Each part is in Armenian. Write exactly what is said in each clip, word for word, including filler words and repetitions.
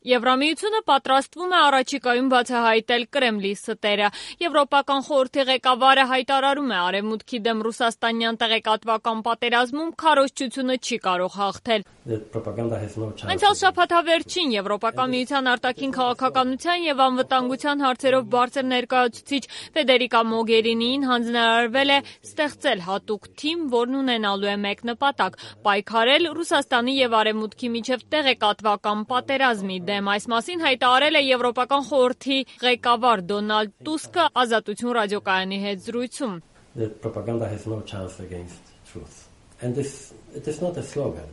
Եվրամիությունը պատրաստվում է առաջիկայում բացահայտել Կրեմլի ստերը։ Եվրոպական խորհրդի ղեկավարը հայտարարում է, Արևմուտքի դեմ ռուսաստանյան տեղեկատվական պատերազմում քարոզչությունը չի կարող հաղթել։ Անցյալ շաբաթավերջին Եվրոպական միության արտաքին քաղաքականության եւ անվտանգության հարցերով բարձր ներկայացուցիչ Ֆեդերիկա Մոգերինիին հանձնարարվել է ստեղծել հատուկ թիմ, որն ունենալու է մեկ նպատակ՝ պայքարել Ռուսաստանի եւ Արևմուտքի միջև տեղեկատվական պատերազմի դեմ։ Այս մասին հայտարարել է Եվրոպական խորհրդի ղեկավար Դոնալդ Տուսկը Ազատություն ռադիոկայանի հետ զրույցում։ The propaganda has no chance against truth. And this it is not a slogan.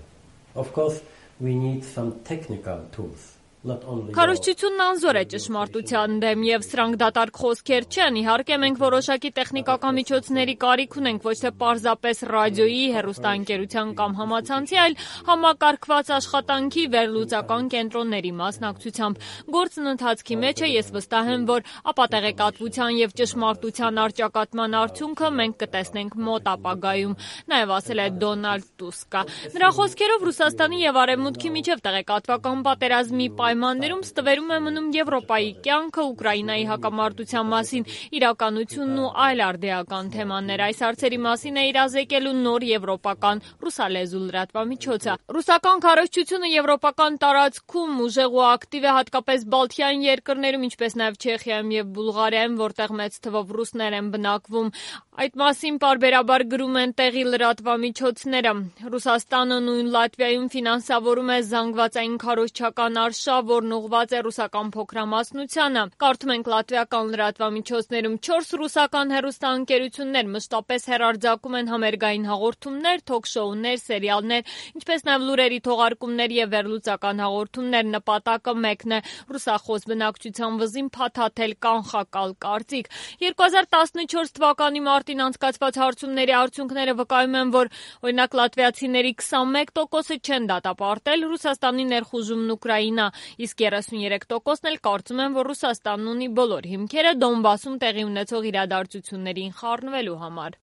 Of course, we need some technical tools. Քարոզչությունն անզոր է ճշմարտության դեմ եւ սրանք դատարկ խոսքեր չեն։ Իհարկե մենք որոշակի տեխնիկական միջոցների կարիք ունենք ոչ թե պարզապես ռադիոյի, հեռուստաընկերության կամ համացանցի, այլ համակարգված աշխատանքի վերլուծական կենտրոնների մասնակցությամբ։ Գործն ընթացքի մեջ է, ես վստահ եմ, որ ապատեղեկատվության եւ ճշմարտության առճակատման արդյունքը մենք կտեսնենք մոտ ապագայում, նաեւ ասել է Դոնալդ Տուսկը։ Նրա խոսքերով Ռուսաստանի եւ Արևմուտքի միջև տեղեկատվական պատերազմի պայմաններում ստվերում է մնում Եվրոպայի կյանքը, Ուկրաինայի հակամարտության մասին իրականությունն ու այլ արդիական թեմաներ։ Այս հարցերի մասին է իրազեկելու նոր եվրոպական ռուսալեզու լրատվամիջոցը։ Ռուսական քարոզչությունը եվրոպական տարածքում ուժեղ ու ակտիվ է, հատկապես Բալթյան երկրներում, ինչպես նաև Չեխիայում եւ Բուլղարիայում, որտեղ մեծ թվով ռուսներ են բնակվում։ Այդ մասին պարբերաբար գրում են տեղի լրատվամիջոցները։ Ռուսաստանը նույն Լատվիայում ֆինանսավորում է զանգվածային քարոզչական արշավ, որն ուղղված է ռուսական փոքրամասնությանը։ Կարդում ենք լատվիական լրատվամիջոցներում չորս ռուսական հեռուստաընկերություններ մշտապես հեռարձակում են համերգային հաղորդումներ, թոք-շոուներ, սերիալներ, ինչպես նաև լուրերի թողարկումներ եւ վերլուծական հաղորդումներ։ Նպատակը մեկն է՝ ռուսախոս բնակչության վզին փաթաթել կանխակալ կարծիք։ երկու հազար տասնչորս թվականի մարտին անցկացված հարցումների արդյունքները վկայում են, որ օրինակ լատվիացիների քսանմեկ տոկոսը չեն դատապարտել Ռուսաստանի ներխուժումն Ուկրաինա, իսկ երեսունյերեք տոկոսն էլ կարծում են, որ Ռուսաստանն ունի բոլոր հիմքերը Դոնբասում տեղի ունեցող իրադարձություններին խառնվելու համար։